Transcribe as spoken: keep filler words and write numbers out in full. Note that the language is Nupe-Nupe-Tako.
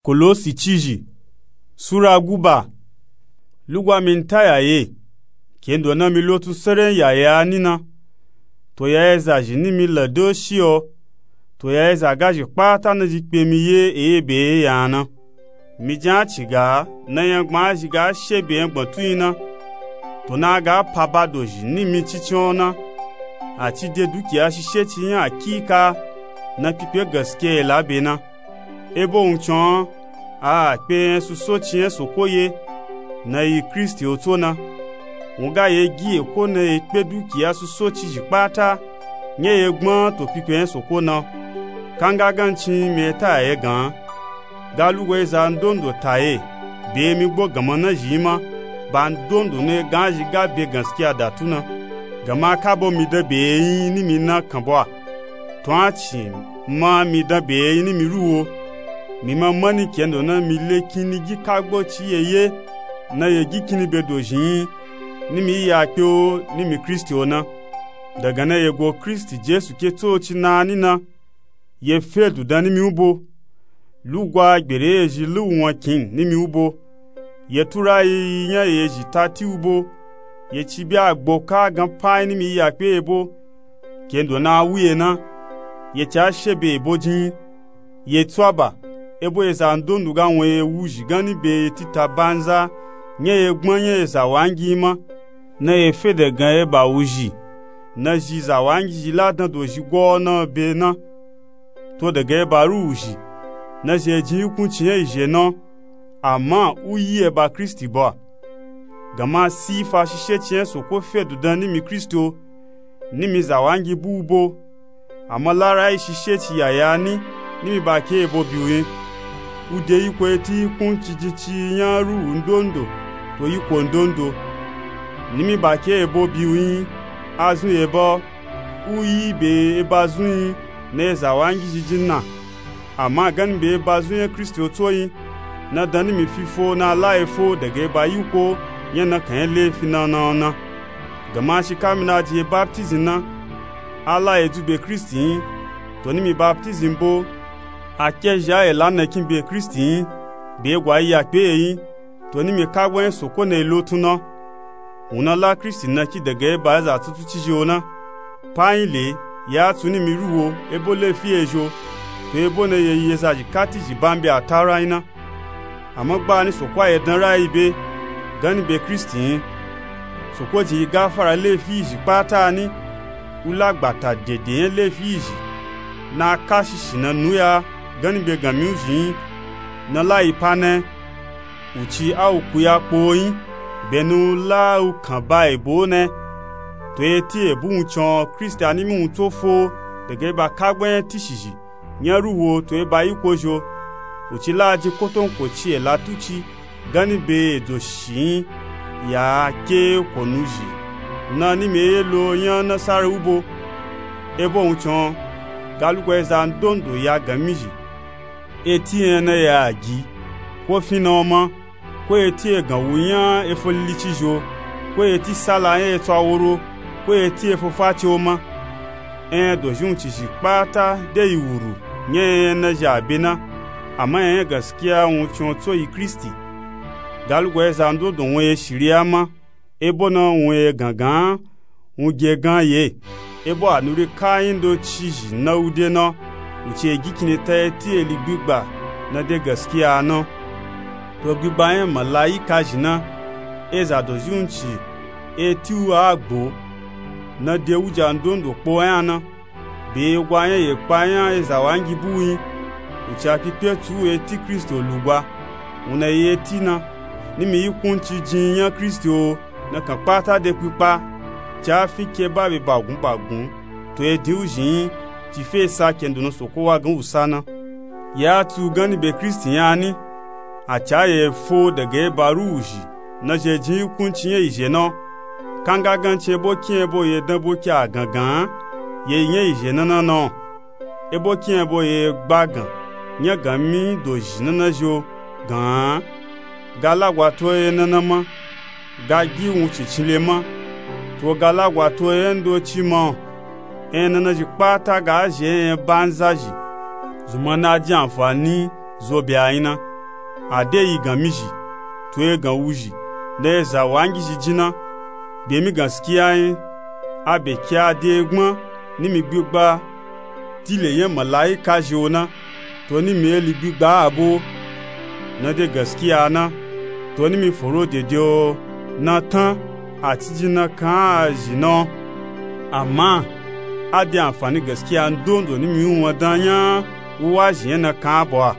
Kolosi cizhi sura guba. Lugwa mi n ta yaye kendo na mi lotun seren yaye a ni na. To ya eza zhi ni mi lado shi o. To ya eza gazhi kpata na zhi kpe mi ye eye be ye ya na. Mi jan a ci ga na yan gbaa zhi ga she be yan gbantun yi na. To na ga pa ba dozhi ni mi cincin o na. A ci de dukiya shishe ci yan a kika na kpikpe gaskiya ye la be na. Ebo wuncin o a a kpe yan suso ci yan soko ye na yi kristi o tso na. Wun ga ye gi ye ko na ye kpe dukiya suso cizhi kpata nya ye gbaa to kpikpe yan soko na. Kanga gancin mi e ta yaye gan a. Ga lugo eza ndondo ta ye be mi gbo ganma na zhi yi ma. Ba ndondo na ye gan a zhi ga be gaskiya da tu na. Ganma a kabo mi dan be ye yin ni mi na kanbo a. To a ci ma mi dan be ye yin ni mi ruwo. Mi ma mani kendo na mi le kinni gi kagbo ci ye ye na ye gi kinni be dozhi yin ni mi yi ya kpe o ni mi kristi o na. Dagan na ye go kristi jesu ke tso ci na ni na. Ye fe dudan ni mi u bo. Lugwa gbere ye zhi luwu wan kin ni mi u bo. Ye tura yi yi nya ye zhi ta ti u bo. Ye ci bi a gbo ka gan pa yin ni mi yi ya kpe ye bo. Kendo na a wu ye na. Ye ci a she be ye bo jin. Ye tsu a ba ebo eza ndondo ga wun ye wuzhi gan ni be ye tita banza nya ye gbaa nya eza wangi yi ma. Na ye fe dagan ye ba wuzhi na zhi za wangi zhi la dan dozhi gwa o na be na. To dagan ye ba ru wuzhi na zhi ye jin yi kunci yan yi zhe na. Ama u yi ye ba kristi bo a. Ganma si fa shishe ci yan soko fe dudan ni mi kristi o. Ni mi za wangi bu u bo. Ama la ra yi shishe ci yaya ni ni mi ba ke ye bo bi u yin. U de yi ko ye ti yi kunci jin ci yan ruwu ndondo to yi ko ndondo. Ni mi ba ke ye bo bi u yin. A zun ye ba o. U yi be eba zun yin na eza wangi zhi jin na. Ama gan ni be eba zun yan kristi o tso yin. Na dan ni mi fi fo na a la ye fo dagan eba yi ko yan na kan yan lefi na na o na. Ganma shi ka mi na jin ye baptizi na a la ye dzu be kristi yin. To ni mi baptizi bo. A ke zhi a ye la na kin be kristi yin. Be ye gwa yi ya kpe ye yin. To ni mi kagbo yan soko na ye lotun na. Wun na la kristi na ki dagan ye ba eza tutu cizhi o na. Pa yin le ya a tsu ni mi ruwo ebo lefi ye zho. To ebo na ye yi eza zhi ka ti zhi ba n be a ta ra yin na. Ama gba ni soko a ye dan ra yi be gan ni be kristi yin. Soko jin yi gafara lefi yi zhi kpata ni. U la gbata dede yan lefi yi zhi na a ka shishi na nu ya gan ni be gan mi u zhi yin. Na la yi pa na. U ci a u kuya kpo yin. Be ni u la u kan ba ebo na. To ye ti ebu wuncin o kristi a ni mi wun tso fo dagan eba kagbo yan ti shizhi yan ruwo to eba yi ko zho. U ci la a jin kotonko ci ye la tu ci gan ni be ye dzoshi yin. Ya a ke ko nu zhi na ni mi ye lo yan na sara u bo. Ebo wuncin o ga lugo eza ndondo ya gan mi zhi. E ti yan na ya gi ko fin na o ma. Ko ye ti egan wu yan efo lili cizhi o. Ko ye ti sala yan etsu aworo. Ko ye ti efo fa ci o ma. Eyan dozhi wun cizhi kpata de yi wuru yan eyan na zhi a be na. Ama eyan gaskiya wuncin o tso yi kristi. Ga lugo eza ndondo wun ye shiriya ma. Ebo na wun ye gangan a. Wun ge gan ye. Ebo a nuri ka yin do cizhi na u de na. U ci ye gi kinni ta ye ti eli gbigba na de gaskiya a na. To gbigba yan malayika zhi na. Eza dozhi wun ci e ti u a gbo na de wuja ndondo kpo yan na. Be ye gwa yan ye kpa yan eza wangi bu yin. U ci a kpikpe tsu u e ti kristi o lugba. Wun na ye ti na. Ni mi yi kunci jin yan kristi o. Na kan kpata de kpikpa. Ci a fi ke ba be bagun bagun to ye din u zhi yin. Ci fe sa kendo na soko wa gan u sa na. Ya a tsu gan ni be kristi yan a ni. A ca ye fo dagan eba ru wuzhi na zhi ye jin yi kunci yan yi zhe na. Kanga gancin ebo kin ebo ye dan bo ke a gangan a. Ye yi yan yi zhe na na na o. Ebo kin ebo ye gba gan yan gan mi dozhi na na zhi o gan a. Ga lagwa to ye na na ma. Ga gi wun cincin le ma. To ga lagwa to ye ndo ci ma o. Eyan na na zhi kpata ga zhi eyan banza zhi. Zun ma na jin anfani zo be a yin na. A de yi gan mizhi, to egan wuzhi na eza wangizhi jin na. Be mi gaskiya yin. A be ki a de gbon ni mi gbigba dile yin malayika zhi o na, to ni mi eli gbigba abo na de gaskiya na, to ni mi foro dede o na tan a ci jin na kan a zhi na o. Ama a de anfani gaskiya ndondo ni mi yin won dan nya wuwa zhi yin na kan abo a.